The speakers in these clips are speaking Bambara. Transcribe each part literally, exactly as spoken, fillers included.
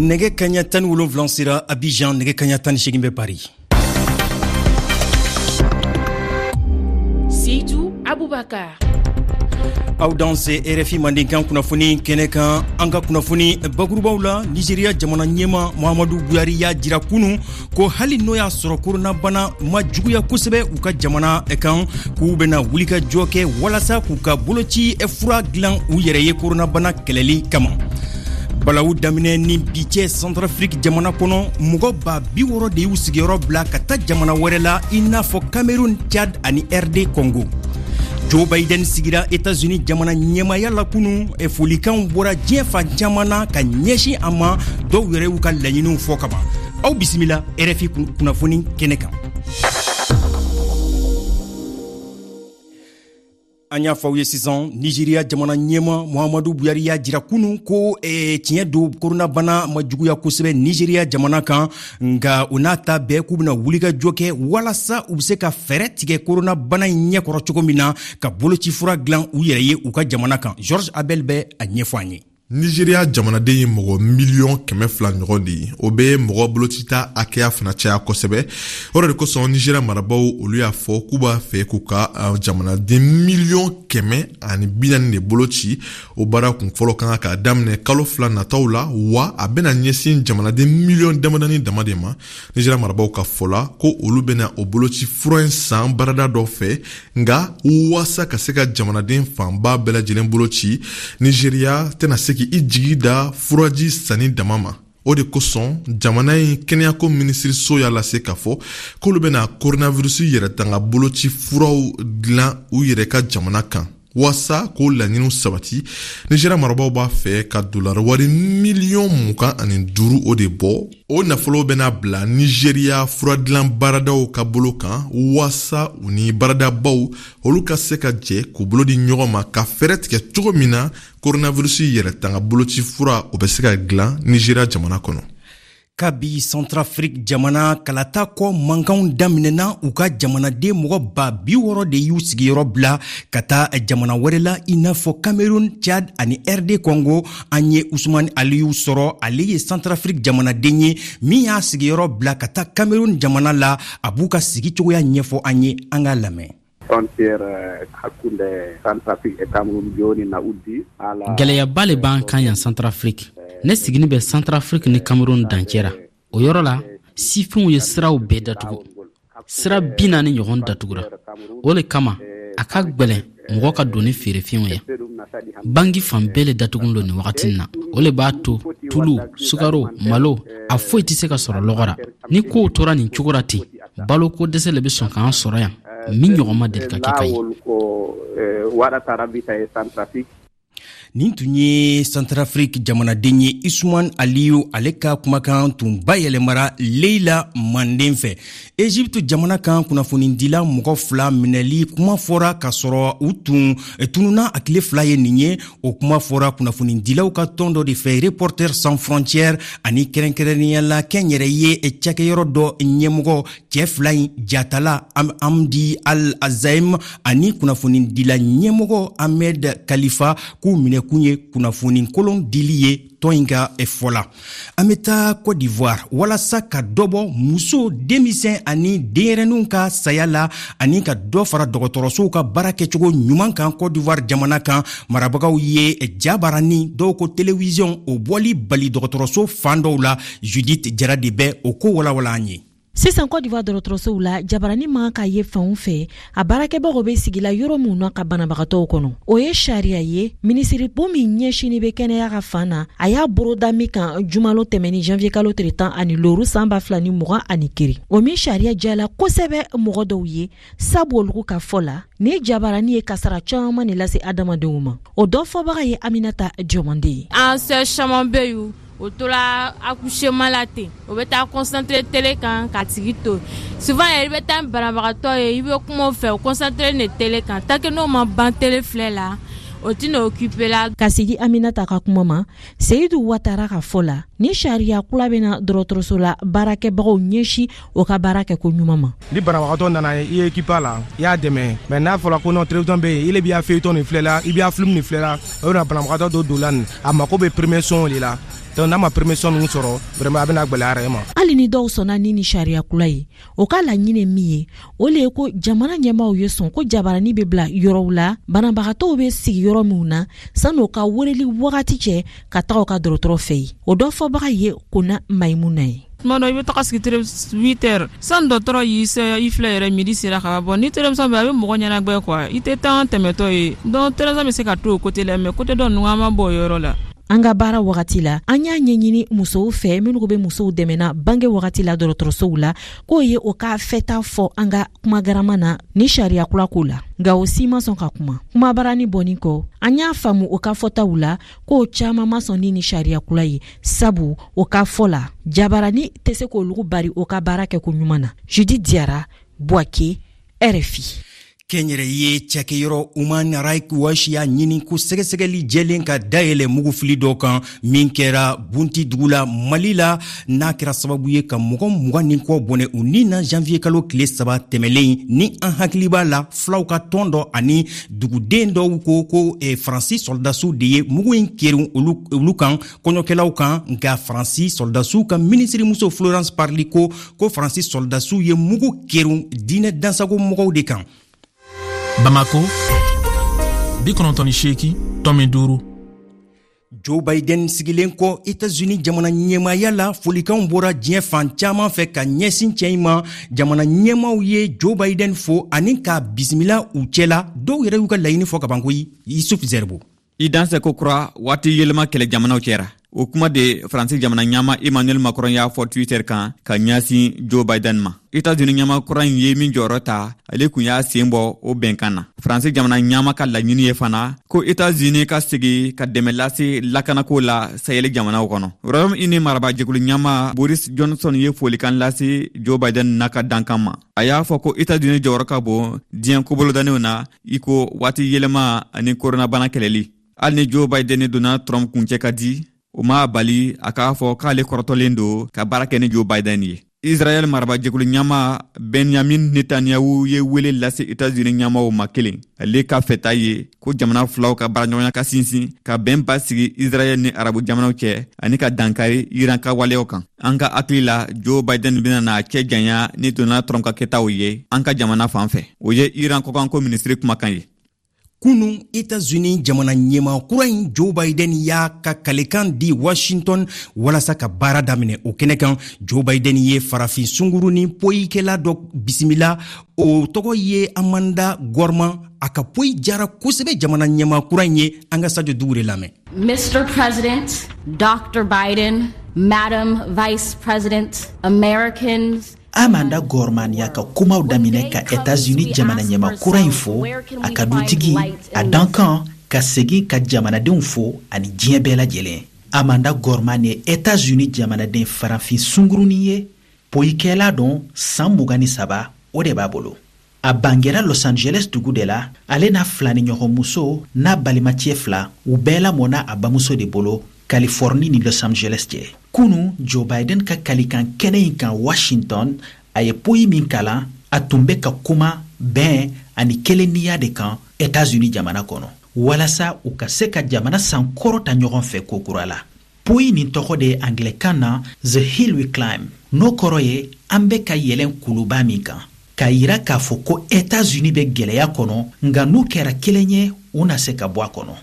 Nɛgɛ kaɲa tan ni wolonwula sera Abidjan, nɛgɛ kaɲa tan ni seegin bɛ Paris. Seydou Aboubacar. Aw danse R F I mandenkan kunnafoni kɛnɛ kan. An ka kunnafoni bakurubaw la, Nigeria jamana ɲɛma Muhammadu Buhari y'a jira kunu ko hali n'o y'a sɔrɔ koronabana ma juguya kosɛbɛ u ka jamana kan, k'u bɛna wulikajɔ kɛ walasa k'u ka boloci fura dilan u yɛrɛ ye koronabana kɛlɛli kama. Balawu daminɛ ni bi cɛ Centrafrique jamana kɔnɔ, mɔgɔ ba bi wɔɔrɔ de y'u sigiyɔrɔ bila ka taa jamana wɛrɛ la i n'a fɔ Cameroun, Tchad ani R D Congo. Joe Biden sigira États-Unis jamana ɲɛmaaya la kunu, folikanw bɔra diɲɛ fan caman na ka ɲɛsin a ma, dɔw yɛrɛ y'u ka laɲiniw fɔ kaban. Aw bisimila R F I kunnafoni kɛnɛ kan. An y'a fɔ aw ye sisan, Nigeria jamana ɲɛma Muhammadu Buhari y'a jira kunu ko eh, tiɲɛ don koronabana ma juguya kosɛbɛ Nigeria jamana kan, nka o n'a ta bɛɛ k'u bɛna wulikajɔ kɛ walasa u bɛ se ka fɛɛrɛ tigɛ koronabana in ɲɛkɔrɔ cogo min na ka bolocifura dilan u yɛrɛ ye u ka jamana kan. Georges Abel bɛ a ɲɛfɔ an ye. Nigeria jamanaden ye mɔgɔ miliyɔn kɛmɛ fila ɲɔgɔn de ye. O bɛ mɔgɔ bolocita hakɛya fana caya kosɛbɛ. O de kosɔn Nigeria marabaw olu y'a fɔ k'u b'a fɛ k'u ka jamanaden miliyɔn kɛmɛ ani bi naani de boloci. O baara kun fɔlɔ kan ka daminɛ kalo fila nataw la, wa a bɛna ɲɛsin jamanaden miliyɔn damadani dama de ma. Nigeria marabaw ka fɔ la ko olu bɛna o boloci fura in san baarada dɔ fɛ, nka waasa ka se ka jamanaden fanba bɛɛ lajɛlen boloci, Nigeria tɛna se i jigi da furaji sanni dama ma. O de kosɔn jamana in kɛnɛyako minisiriso y'a lase k'a fɔ k'olu bɛna coronavirus yɛrɛtanga boloci furaw dilan u yɛrɛ ka jamana kan. Waasa k'o laɲiniw sabati, Nigeria marabaw b'a fɛ ka dolari wari miliyɔn mugan ani duuru o de bɔ. O nafolo bɛna bila Nigeria furadilan baaradaw ka bolo kan, waasa u ni baaradabaw olu ka se ka jɛ k'u bolo di ɲɔgɔn ma ka fɛɛrɛ tigɛ cogo min na coronavirus yɛrɛtanga boloci fura o bɛ se ka dilan Nigeria jamana kɔnɔ. Kabi Centrafrique jamana kalata kɔ mankanw daminɛna, u ka jamanaden mɔgɔ ba bi wɔɔrɔ de y'u sigiyɔrɔ bila ka taa jamana wɛrɛ la i n'a fɔ Cameroun, Tchad ani R D Congo. An ye Ousmane Aliyu sɔrɔ, ale ye Centrafrique jamanaden ye min y'a sigiyɔrɔ bila ka taa Cameroun jamana la. A b'u ka sigi cogoya ɲɛfɔ an ye, an k'a lamɛn. Gɛlɛyaba le b'an kan yan Centrafrique. Ne sigini bɛ Centrafrique ni Cameroun dancɛ ra. O yɔrɔ la, sifinw ye siraw bɛɛ datugu. Sira bi naani ɲɔgɔn datugura. O le kama, a ka gwɛlɛn mɔgɔ ka don ni feerefɛnw ye. Bangi fan bɛɛ le datugun lo nin wagati na. O le b'a to tulu, sukaro, malo, a foyi tɛ se ka sɔrɔ lɔgɔ ra. Ni kow tora nin cogo ra ten, baloko dɛsɛ le bɛ sɔn k'an sɔrɔ yan min ɲɔgɔn ma deli ka kɛ ka ye. Nin tun ye Centrafrique jamanaden ye Ousmane Aliyu, ale ka kumakan tun bayɛlɛmara Leila Manden fɛ. Egypte jamana kan kunnafonidila mɔgɔ fila minɛli kuma fɔra k'a sɔrɔ u tun tununa a tile fila ye nin ye. O kuma fɔra kunnafonidilaw ka tɔn dɔ de fɛ, Reporters sans frontières, ani kɛrɛnkɛrɛnnenya la kɛnyɛrɛye cakɛyɔrɔ dɔ ɲɛmɔgɔ cɛ fila in jatala Hamdi Al Azaim ani kunnafonidila ɲɛmɔgɔ Ahmed Khalifa k'u minɛ kun ye kunnafoni kolon dili ye tɔn in ka fɔ la. An bɛ taa Côte d'Ivoire walasa ka dɔ bɔ muso, denmisɛn ani denyɛrɛninw ka saya la ani ka dɔ fara dɔgɔtɔrɔsow ka baara kɛcogo ɲuman kan Côte d'Ivoire jamana kan. Marabagaw ye jabarani, dɔw ko télévision, o bɔli bali dɔgɔtɔrɔso fan dɔw la. Judith Jara de bɛ o ko walawala an ye. Sisan Côte d'Ivoire dɔgɔtɔrɔsow la, jabarani man ka ye fanw fɛ, a baarakɛbagaw bɛ sigi la yɔrɔ min na ka banabagatɔw kɔnɔ. O ye sariya ye minisiribo min ɲɛsinni bɛ kɛnɛya ka fan na, a y'a boroda min kan jumalo tɛmɛni janvier kalo tile tan ani loru san ba fila ni mugan ani kiri. O min sariya jala kosɛbɛ mɔgɔ dɔw ye, sabu olu ka fɔ la ni jabarani ye kasara caman de lase adamadenw ma. O dɔ fɔbaga ye Aminata Diomande ye. An sœur caman bɛ yen, o tora accouchement la ten, o bɛ taa concentré télé kan ka tigi to. Souvent yɛrɛ i bɛ taa ni banabagatɔ ye, i bɛ kuma o fɛ, o concentré ne télé kan, tant que n'o ma ban télé filɛ la, o tɛna occupé la. Ka sigi Aminata ka kuma ma, Seyidu Watara ka fɔ la, ni sariya kura bɛna dɔgɔtɔrɔso la baarakɛbagaw ɲɛsin o ka baara kɛ ko ɲuman ma. Ni banabagatɔ nana i ye équipe la, i y'a dɛmɛ, mais n'a fɔra ko non télévision bɛ yen, i b'i feuilleton nin filɛ la, i b'i film nin filɛ la, o bɛna banabagatɔ dɔ don la nin, a mako bɛ premier soin de la. Donc n'a ma permission ninnu sɔrɔ, vraiment a bɛna gwɛlɛya yɛrɛ ma. Hali ni dɔw sɔnna ni ni sariya kura ye, o ka laɲini min ye, o le ye ko jamana ɲɛmaaw ye sɔn ko jabarani bɛ bila yɔrɔw la, banabagatɔw bɛ sigi yɔrɔ minw na san'o ka weleli wagati cɛ ka taga u ka dɔgɔtɔrɔ fɛ yen. O dɔ fɔbaga ye Kona Mayimuna ye. Tuma dɔ i bɛ taga sigi huit heures sani dɔgɔtɔrɔ y'i se i filɛ yɛrɛ, midi sera ka ban. Ni télévision bɛ, a bɛ mɔgɔ ɲɛnagbɛ quoi, i tɛ taa tɛmɛtɔ ye. Donc télévision bɛ se ka to o côté la, mais côté dɔ ninnu an ma bɔ o yɔrɔ la. An ka baara wagati la, an y'a ɲɛɲini musow fɛ minnu bɛ musow dɛmɛna bange wagati la dɔgɔtɔrɔsow la, k'o ye o ka fɛta fɔ an ka kumagarama na ni sariya kura ko la, nka o si ma sɔn ka kuma. Kumabarani bɔnni kɔ, an y'a faamu o ka fɔtaw la k'o caman ma sɔn ni ni sariya kura ye, sabu o ka fɔ la jabarani tɛ se k'olu bari o ka baara kɛ ko ɲuman na. Judith Diarra, Bouaké, R F I. Kɛnyɛrɛye cakɛyɔrɔ Human Rights Watch y'a ɲini ko sɛgɛsɛgɛli jɛlen ka dayɛlɛ mugufili dɔ kan min kɛra Bunti dugu la Mali la, n'a kɛra sababu ye ka mɔgɔ mugan ni kɔ bɔnɛ u ni na janvier kalo tile saba tɛmɛlen. Ni an hakili b'a la, filaw ka tɔn dɔ ani duguden dɔw ko ko eh, Faransi sɔrɔdasiw de ye mugu in kerun olu, olu kan kɔɲɔkɛlaw kan. Nka Faransi sɔrɔdasiw ka minisirimuso Florence Parly ko ko Faransi sɔrɔdasiw ye mugu kerun diinɛ dansago mɔgɔw de kan. Bamako, bi kɔnɔntɔn ni seegin tɔmi duuru. Joe Biden sigilen kɔ États-Unis jamana ɲɛmaaya la, folikanw bɔra diɲɛ fan caman fɛ ka ɲɛsin cɛ in ma. Jamana ɲɛmaaw ye Joe Biden fo ani k'a bisimila u cɛla. Dɔw yɛrɛ y'u ka laɲini fɔ ka ban koyi. Yusuf Zerbo. I dansɛ ko kura waati yɛlɛma kɛlɛ jamanaw cɛra. O kuma de Faransi jamana ɲɛmaa Emmanuel Macron y'a fɔ Twitter kan ka ɲɛsin Joe Biden ma. États-Unis ɲɛmaa kura in ye min jɔyɔrɔ ta, ale kun y'a sen bɔ o bɛnkan na. Faransi jamana ɲɛmaa ka laɲini ye fana ko États-Unis ka segi ka dɛmɛ lase lakanako la Sahel jamanaw kɔnɔ. Royaume-Uni marabajɛkulu ɲɛmaa Boris Johnson ye folikan lase Joe Biden n'a ka dankan ma. A y'a fɔ ko États-Unis jɔyɔrɔ ka bon diɲɛ kobolodalenw na, i ko waati yɛlɛma ani koronabana kɛlɛli. Hali ni Joe Biden ni Donald Trump kuncɛ ka di, o m'a bali a k'a fɔ k'ale kɔrɔtɔlen don ka baara kɛ ni Joe Biden ye. Israɛl marabajɛkulu ɲɛmaa Benjamin Netanyahu ye wele lase États-Unis ɲɛmaaw ma kelen. Ale ka fɛta ye ko jamana filaw ka baaraɲɔgɔnya ka sinsin ka bɛn basigi Israɛl ni arabu jamanaw cɛ ani ka dankari Iran ka waleyaw kan. An ka hakili la, Joe Biden bɛna n'a cɛ janya ni Donald Trump ka kɛtaw ye an ka jamana fan fɛ. O ye Iran kɔkanko minisiri kumakan ye. Kunu, États-Unis jamana ɲɛmaa kura in Joe Biden y'a ka kalekan di Washington walasa ka baara daminɛ. O kɛnɛ kan, Joe Biden ye farafin sunguruni poyikɛla dɔ bisimila, o tɔgɔ ye Amanda Gorman. A ka poyi jara kosɛbɛ jamana ɲɛmaa kura in ye. An ka Sadio Dugure lamɛn. Mister President, Doctor Biden, Madam Vice President, Americans. Amanda Gorman y'a ka kumaw daminɛ ka États-Unis jamana ɲɛmaa kura in fo, a ka dutigi, a dankan, ka segin ka jamanadenw fo ani diɲɛ bɛɛ lajɛlen. Amanda Gorman ye États-Unis jamanaden farafin sungurunin ye, poyikɛla don, san mugan ni saba o de b'a bolo. A bangera Los Angeles dugu de la. Ale n'a filaniɲɔgɔnmuso n'a balimacɛ fila, u bɛɛ lamɔna a bamuso de bolo Californie ni Los Angeles cɛ. Kunu, Joe Biden ka kalikan kɛnɛ in kan Washington, a ye poyi min kalan, a tun bɛ ka kuma bɛn ani kelennenya de kan États-Unis jamana kɔnɔ, walasa u ka se ka jamana sankɔrɔta ɲɔgɔn fɛ kokura la. Poyi nin tɔgɔ de ye anglɛkan na The Hill We Climb, n'o kɔrɔ ye an bɛ ka yɛlɛn kuluba min kan, k'a yira k'a fɔ ko États-Unis bɛ gwɛlɛya kɔnɔ, nka n'u kɛra kelen ye, u na se ka bɔ a kɔnɔ.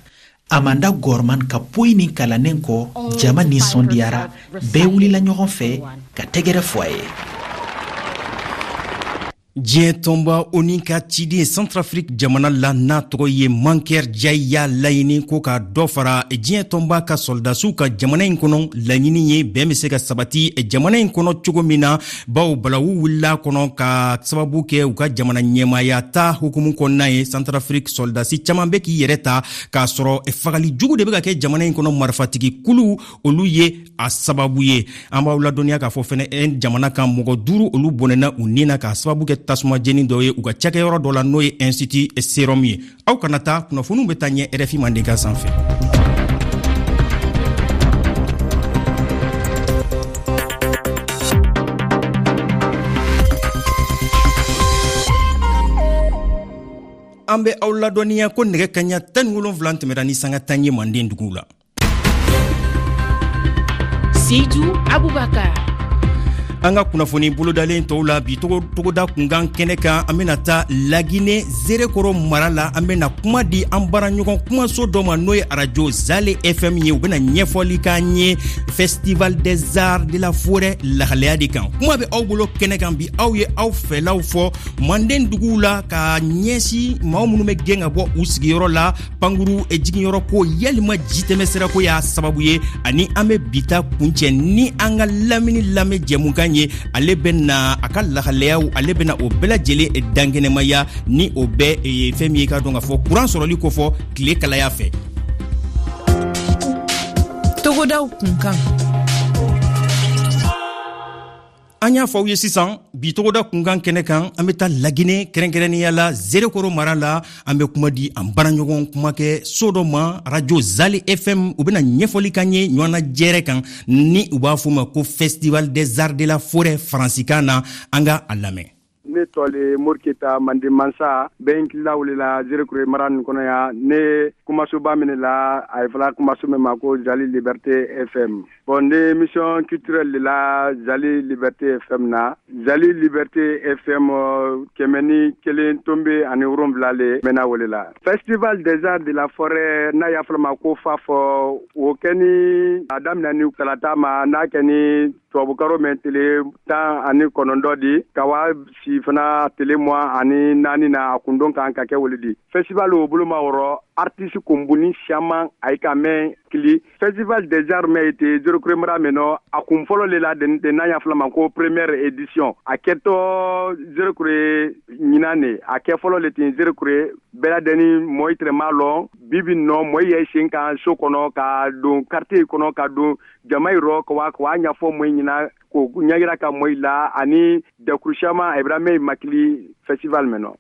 Amanda Gorman ka poyi nin kalannen kɔ, jama nisɔndiyara, bɛɛ wulila ɲɔgɔn fɛ ka tɛgɛrɛ fɔ a ye. Diɲɛ tɔnba ONU ka ciden Centrafrique jamana la n'a tɔgɔ ye Mankeur Ndiaye y'a laɲini ko ka dɔ fara diɲɛ tɔnba ka sɔrɔdasiw ka jamana in kɔnɔ. Laɲini ye bɛn bɛ se ka sabati jamana in kɔnɔ cogo min na, bawo balawu wulila kɔnɔ ka sababu kɛ u ka jamana ɲɛmaaya ta hukumu kɔnɔna ye. Centrafrique sɔrɔdasi caman bɛ k'i yɛrɛ ta k'a sɔrɔ fagali jugu de bɛ ka kɛ jamana in kɔnɔ, marifatigi kulu olu ye a sababu ye. An b'aw ladɔnniya k'a fɔ fɛnɛ jamana kan mɔgɔ duuru olu bɔnɛna u ni na k'a sababu kɛ tasuma jeni dɔ ye u ka cakɛyɔrɔ dɔ la, n'o ye Institut Serum ye. Aw kana taa, kunnafoniw bɛ taa ɲɛ R F I Mandenkan sanfɛ. An bɛ aw ladɔnniya ko nɛgɛ kaɲa tan ni wolonwula tɛmɛra ni sanga tan ye Manden duguw la. Seydou Aboubacar. An ka kunnafoni bolodalen tɔw la bi togoda kunkan kɛnɛ kan, an bena taa Lagine Zerekoro mara la. An bena kuma di an baaraɲɔgɔn kumaso dɔ ma, n'o ye arajo Zale F M ye. U bena ɲɛfɔli k'an ye Festival des Arts de la Forêt lahalaya de kan. Kuma bɛ aw bolo kɛnɛ kan bi, aw ye aw fɛlaw fɔ manden duguw la ka ɲɛsin maaw minnu bɛ gɛn ka bɔ u sigiyɔrɔ la, pankuru jiginyɔrɔ ko yalima jitɛmɛ sirako y'a sababu ye. Ani an bɛ bi ta kuncɛ ni an ka lamini lamɛn jɛmukan ye. Ale bɛna a ka lahalayaw, ale bɛna o bɛɛ lajɛlen dankɛnɛmaya ni o bɛɛ fɛn min ye k'a dɔn k'a fɔ kuran sɔrɔli kofɔ tile kalaya fɛ. Togodaw kunkan. An y'a fɔ aw ye sisan, bi togoda kunkan kɛnɛ kan, an bɛ taa Lagine, kɛrɛnkɛrɛnnenya la Zerekoro mara la. An bɛ kuma di an baaraɲɔgɔn kumakɛ so dɔ ma, radio Zale F M. U bɛna ɲɛfɔli k'an ye ɲɔgɔnna jɛrɛ kan, ni u b'a fɔ ma ko Festival des Arts de la Forêt faransikan na. An ka a lamɛn. Ne tɔgɔ le Moriketa Mande Mansa, bɛ n kila wele Zerekore mara nin kɔnɔ yan. Ne kumasoba minɛ la, a ye fɔla kumaso min ma ko Zali Liberté F M. Bon, ne émission culturelle de la Zali Liberté F M na. Zali Liberté F M kɛmɛ ni kelen tombe ani wolonwula le mɛna wele la. Festival des Arts de la Forêt, n'a y'a fɔla ma ko FAF, o kɛ ni a daminɛ ni kalata ma, n'a kɛ ni tubabukaro mɛn tele tan ani kɔnɔntɔn di ka wa si fana tele mugan ani naani na, a kundon kan ka kɛ wele di. Festival o bolo ma wɔrɔ artiste kunbuni siaman a ye ka mɛn kili. Festival des Arts mɛn ete Zerekore mara mɛn nɔ, a kun fɔlɔ le la n'a y'a fɔla ma ko première édition, a kɛtɔ Zerekore ɲinan ne, a kɛ fɔlɔ le ten Zerekore. Bɛɛ ladɛnni mɔɔ tɛrɛ m'a lɔn. Bibi nɔ mɔɔ yɛ sen kan so kɔnɔ ka don quartier kɔnɔ, ka don jama yɔrɔ ka wa ka wa ɲɛfɔ mɔɔ ɲɛna, k'o ɲɛyira ka mɔɔ la ani dɛkuru siaman a bɛra mɛn makili festival mɛn nɔ.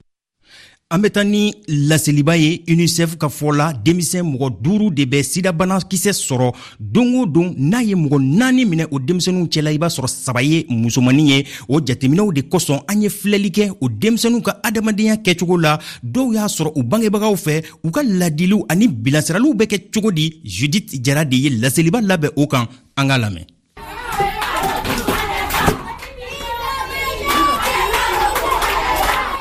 An bɛ taa ni laseliba ye. UNICEF ka fɔ la, denmisɛn mɔgɔ duuru de bɛ sidabanakisɛ sɔrɔ don o don. N'a ye mɔgɔ naani minɛ o denmisɛnninw cɛla, i b'a sɔrɔ saba ye musomannin ye. O jateminɛw de kosɔn, an ye filɛli kɛ o denmisɛnninw ka adamadenya kɛcogo la. Dɔw y'a sɔrɔ u bangebagaw fɛ, u ka ladiliw ani bilasiraliw bɛ kɛ cogo di? Judith Jara de ye laseliba labɛn o kan. An k'a lamɛn.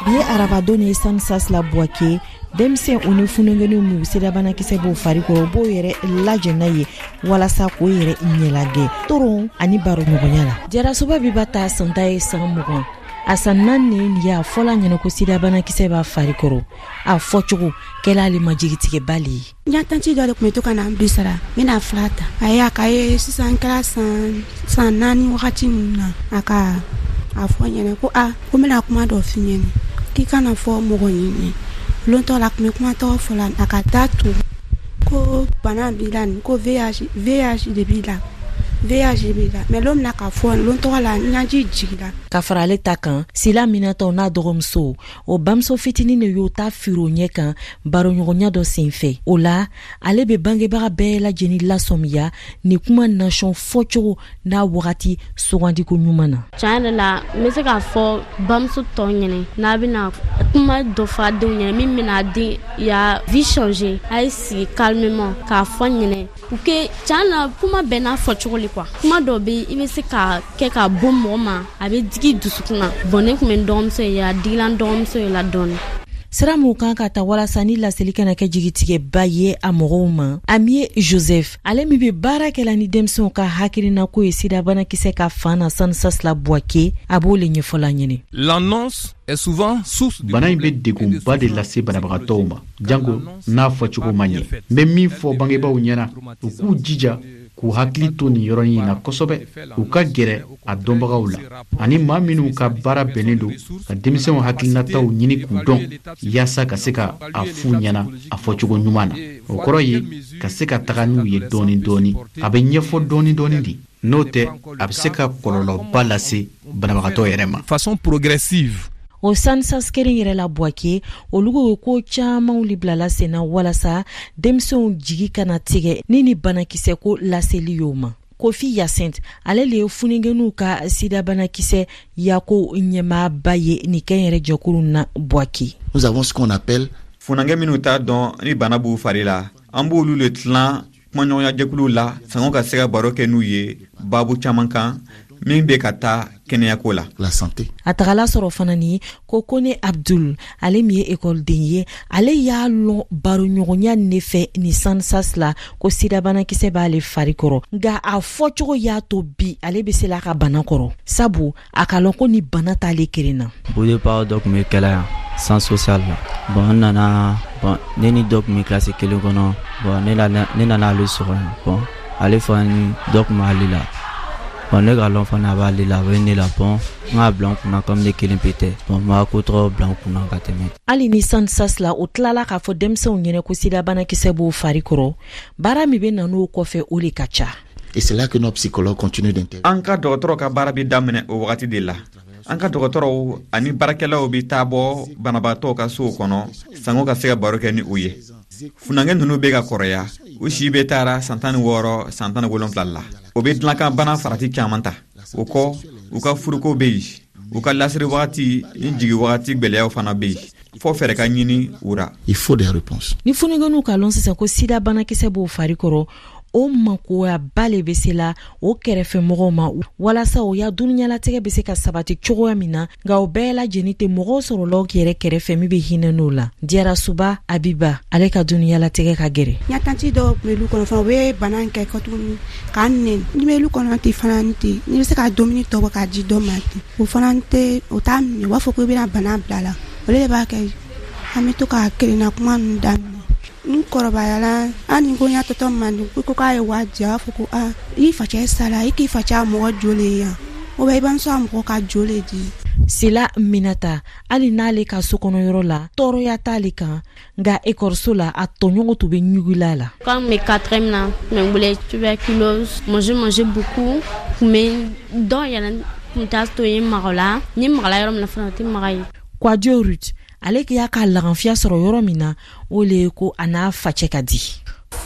Bi ye arabadon ye Sansas la Buwake. Denmisɛn u ni fununkɛninw minnu sidabanakisɛ b'o fari kɔrɔ, u b'o yɛrɛ lajɛ n'a ye walasa k'o yɛrɛ ɲɛlagɛ toron ani baroɲɔgɔnya la. Jarasoba Biba ta san ta ye san mugan, a san naani nin ye. A fɔla ɲɛna ko sidabanakisɛ b'a fari kɔrɔ, a fɔcogo kɛla ale ma jigitigɛba le ye. N ya tanti dɔ de tun bɛ to ka na n bisara, n bɛna fura ta. A ye a ka ye sisan, kɛra san san naani wagati ninnu na, a ka a fɔ n ɲɛna ko a ko n bɛna kuma dɔ f'i ɲɛna, k'i kana fɔ mɔgɔ ɲini. Lon tɔ la, a tun bɛ kuma tɔgɔ fɔ la, a ka taa to ko bana b'i la nin, ko V I H V I H de b'i la, V I H b'i la. Mais lon min na k'a fɔ lon tɔgɔ la, n ɲaji jiginna. Ka fara ale ta kan, Sila Minatɔ n'a dɔgɔmuso, o bamuso fitinin de y'o ta firo ɲɛ kan baroɲɔgɔnya dɔ sen fɛ. O la, ale bɛ bangebaga bɛɛ lajɛlen lasɔmiya ni kuma nasɔn fɔcogo n'a wagati sugandiko ɲuman na. Tiɲɛ yɛrɛ la, n bɛ se k'a fɔ bamuso tɔw ɲɛnɛ, n'a bɛna kuma dɔ fɔ a denw ɲɛnɛ min bɛna den ya vie changer, a ye sigi calmement k'a fɔ ɲɛnɛ pour que tiɲɛ na kuma bɛɛ n'a fɔcogo le quoi. Kuma dɔ bɛ i bɛ se ka kɛ ka bɔ mɔgɔ ma, a bɛ digi dusukun na. Bon, ne tun bɛ n dɔgɔmuso ye, a digila n dɔgɔmuso ye la dɔɔni. Sira mun kan ka ta walasa ni laseli kana kɛ jigitigɛba ye a mɔgɔw ma? Amie Joseph, ale min bɛ baara kɛla ni denmisɛnw ka hakilinako ye sidabanakisɛ ka fan na Sansas la Buwake, a b'o le ɲɛfɔla ɲini. L'annonce est souvent source de Bana in bɛ degunba de lase banabagatɔw ma, janko n'a fɔcogo ma ɲɛ. N bɛ min fɔ bangebaaw ɲɛna, u k'u jija k'u hakili to nin yɔrɔnin in na kosɛbɛ, u ka gɛrɛ a dɔnbagaw la ani maa minnu ka baara bɛnnen don ka denmisɛnw hakilinataw ɲini k'u dɔn, yaasa ka se ka a f'u ɲɛna a fɔcogo ɲuman na. O kɔrɔ ye ka se ka taga n'u ye dɔɔni dɔɔni, a bɛ ɲɛfɔ dɔɔni dɔɔni de. N'o tɛ, a bɛ se ka kɔlɔlɔba lase banabagatɔ yɛrɛ ma. Façon progressive. O Sansas kelen yɛrɛ la Buwake, olu ko ko camanw le bilala sen na walasa denmisɛnw jigi kana tigɛ ni ni banakisɛ ko laseli y'o ma. Kofi Yacinthe, ale le ye fununkɛninw ka sidabanakisɛ yako ɲɛmaaba ye nin kɛnyɛrɛ jɛkulu na Buwake. Nous avons ce qu'on appelle Funankɛ minnu t'a dɔn ni bana b'u fari la, an b'olu le tilan. Kumaɲɔgɔnya jɛkuluw la sango ka se ka baro kɛ n'u ye baabu caman kan min bɛ ka taa kɛnɛyako la. La santé. A tagala sɔrɔ fana ni ko Kone Abdul, ale min ye ekɔliden ye, ale y'a lɔn baroɲɔgɔnya ne fɛ ni SANSAS la ko sidabanakisɛ b'ale fari kɔrɔ, nka a fɔcogo y'a to bi ale bɛ se la ka bana kɔrɔ, sabu a ka lɔn ko ni bana t'ale kelen na. Au départ dɔ tun bɛ kɛla yan centre social la. Bon, n nana, bon, ne ni dɔ tun bɛ kilasi kelen kɔnɔ. Bon, ne nana ne nana ale sɔrɔ yan. Bon, ale fana ni dɔ tun b'ale la. Bon, ne ka lɔn fana a b'ale la, a bɛ ne la. Bon, n k'a bila n kunna comme ne kelen pe tɛ. Bon, n b'a ko tɔgɔ bila n kunna ka tɛmɛ. Hali ni SANSAS la, o tilala k'a fɔ denmisɛnw ɲɛnɛ ko sidabanakisɛ b'o fari kɔrɔ, baara min bɛ na n'o kɔfɛ, o de ka ca. Et c'est là que nos psychologues continuent d'intervenir. An ka dɔgɔtɔrɔ ka baara bɛ daminɛ o wagati de la. An ka dɔgɔtɔrɔw ani baarakɛlaw bɛ taa bɔ banabaatɔw ka sow kɔnɔ sango ka se ka baro kɛ ni u ye. Funankɛ ninnu bɛ ka kɔrɔya, u si bɛ taara san tan ni wɔɔrɔ, san tan ni wolonfila la. O bɛ dilankan bana farati caman ta. O kɔ, u ka furuko bɛ yen, u ka lasiri wagati ni jigi wagati gwɛlɛyaw fana bɛ yen, fɔ fɛɛrɛ ka ɲini u ra. Il faut des réponses. Ni funankɛninw ka lɔn sisan ko sida banakisɛ b'o fari kɔrɔ, o makoyaba le bɛ se la o kɛrɛfɛmɔgɔw ma walasa o ya dunuɲalatigɛ bɛ se ka sabati cogoya min na, nka o bɛɛ lajɛlen tɛ mɔgɔw sɔrɔlaw yɛrɛ kɛrɛfɛ min bɛ hinɛ n'o la. Diyarasuba Abiba, ale ka dunuɲalatigɛ ka gɛrɛ. N tanti dɔw tun bɛ lu kɔnɔ fana, u bɛ bana in kɛ tuguni k'an nɛni. N'i bɛ lu kɔnɔ ten fana ten, n'i bɛ se ka dumuni tɔ bɔ k'a di dɔ ma ten, o fana tɛ o t'a minɛ, u b'a fɔ ko i bɛna bana bila a la. O de b'a kɛ an bɛ to ka kelenna kuma ninnu daminɛ. N kɔrɔbayala, hali ni ko n y'a tɔtɔ man di ko k'a ye waa di, a b'a fɔ ko aa, i facɛ sara, i k'i facɛ a mɔgɔ joli ye yan, ou bien i bamuso a mɔgɔ ka joli di. Sila Minata, hali n'ale ka so kɔnɔ yɔrɔ la tɔɔrɔya t'ale kan, nka ekɔliso la a tɔɲɔgɔn tun bɛ ɲugula la. Quand mes quatrième na, n bɛ tuberculose, moi je mangeais beaucoup, mais dɔw yɛrɛ tun t'a to yen maga la, ni magala yɔrɔ min na fana o tɛ maga yen. Kwadio Ruth, ale y'a ka laganfiya sɔrɔ yɔrɔ min na, o le ye ko a n'a facɛ ka di.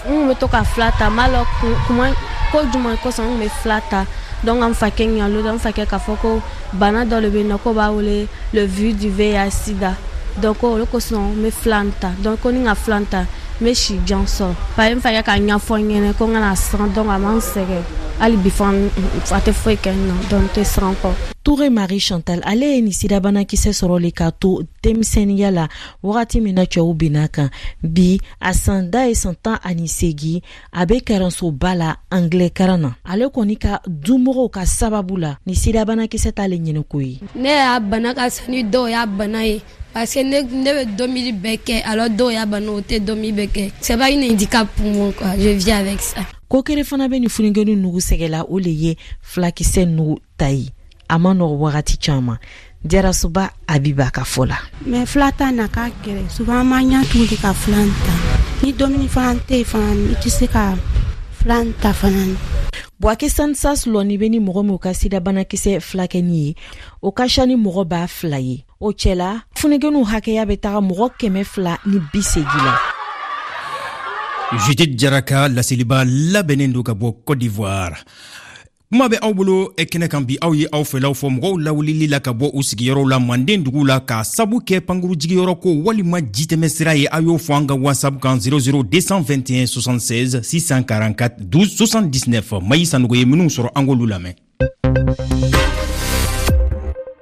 N kun bɛ to ka fila ta, n b'a lɔn kuma ko jumɛn kosɔn n kun bɛ fila ta. Donc an fakɛ ɲalo, n fakɛ k'a fɔ ko bana dɔ de bɛ yen nɔ ko b'a wele le virus du V I H sida. Donc o de kosɔn n bɛ fila ta. Donc ko ni n ka fila ta, n bɛ si jan sɔrɔ. Parce que n fakɛ k'a ɲɛfɔ n ɲɛna ko n kana siran, donc a man sɛgɛn hali bi fana, a tɛ foyi kɛ n na, donc n tɛ siran kɔ. Toure Marie Chantal, ale ye nin sidabanakisɛ sɔrɔ le k'a to denmisɛnninya la, wagati min na cɛw binna kan. Bi a san da ye san tan ani seegin, a bɛ karansoba la anglais karan na. Ale kɔni ka dumɔgɔw ka sababu la, ni sidabanakisɛ t'ale ɲiniko ye. Ne y'a bana ka sa ni dɔw y'a bana ye, parce que ne ne bɛ domuni bɛɛ kɛ, alors dɔw y'a bana, o tɛ domuni bɛɛ kɛ. C'est pas une handicap pour moi quoi, je vis avec ça. Ko kere fana bɛ nin funankɛnin nugu sɛgɛla, o le ye fulakisɛ nugu ta ye. A ma nɔgɔ wagati caman. Jarasuba Abiba ka fɔ la. Mais fila ta na ka gɛrɛ, souvent an b'an ɲɛ tugu de ka fila ta. Ni dumuni fana tɛ yen fana, i tɛ se ka fila ta fana. Bouaké SANSAS lɔnni bɛ ni mɔgɔ min ka sidabanakisɛ fulakɛni ye, o ka ca ni mɔgɔ ba fila ye. O cɛla, funankɛninw hakɛya bɛ taga mɔgɔ kɛmɛ fila ni bi seegin la. Judith Jara ka laseliba labɛnnen don ka bɔ Côte d'Ivoire. Kuma bɛ aw bolo kɛnɛ kan bi, aw ye aw fɛlaw fɔ mɔgɔw lawulili la ka bɔ u sigiyɔrɔw la manden dugu la k'a sabu kɛ pankuru jigiyɔrɔ ko walima jitɛmɛ sira ye. Aw y'o fɔ an ka WhatsApp kan zéro zéro deux cent vingt et un soixante-seize six cent quarante-quatre douze soixante-dix-neuf. Mayi Sanogo ye minnu sɔrɔ, an k'olu lamɛn.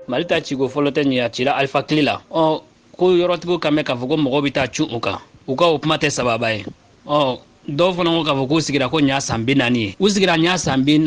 Mali ta ciko fɔlɔ tɛ nin, a cira Alifa tile la. Ɔ ko yɔrɔtigiw kan mɛn k'a fɔ ko mɔgɔw bɛ taa cun u kan, u ka o kuma tɛ sababa ye. Ɔ dɔw fana ko k'a fɔ k'u sigira ko ɲa san bi naani ye, u sigira ɲa san bi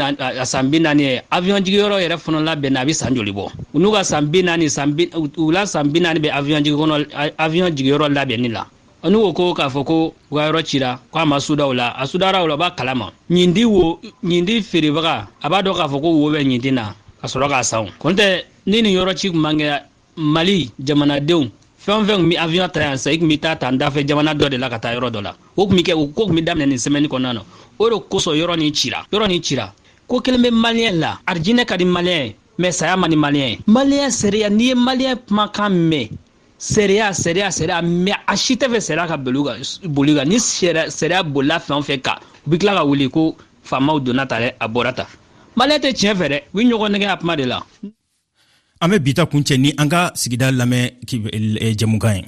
san bi naani ye. Avion jigiyɔrɔ yɛrɛ fana labɛnna, a bɛ san joli bɔ? U n'u ka san bi naani, san bi u la san bi naani bɛ avion jigi kɔnɔ, avion jigiyɔrɔ labɛnni la. N'u ko ko k'a fɔ ko u ka yɔrɔ cira, k'a ma suda o la, a sudara o la, u b'a kalama. Ɲindi wo, ɲindi feerebaga a b'a dɔn k'a fɔ ko wo bɛ ɲindi na ka sɔrɔ k'a san. O kɔni tɛ ni nin yɔrɔ ci kun man kɛ, Mali jamanadenw fɛn o fɛn kun bɛ avion ta yan sisan, i kun bɛ taa ta dafɛ jamana dɔ de la ka taa yɔrɔ dɔ la. O kun bɛ kɛ, o ko kun bɛ daminɛ nin semaine kɔnɔna na. O de kosɔn yɔrɔ nin cira, yɔrɔ nin cira. Ko kelen bɛ maliyɛn la, arijinɛ ka di maliyɛn ye, mais saya man di maliyɛn ye. Maliyɛn sariya, n'i ye maliyɛn kumakan mɛn, sariya, sariya, sariya, mais a si tɛ fɛ sariya ka boli kan, boli kan. Ni sariya bolila fɛn o fɛn kan, u bɛ tila ka wuli ko faamaw donna ta dɛ, a bɔra ta. Maliyɛn tɛ tiɲɛ fɛ dɛ, u bɛ ɲɔgɔn nɛgɛ a kuma de la. An bɛ bi ta kuncɛ ni an ka sigida lamɛn jɛmukan ye.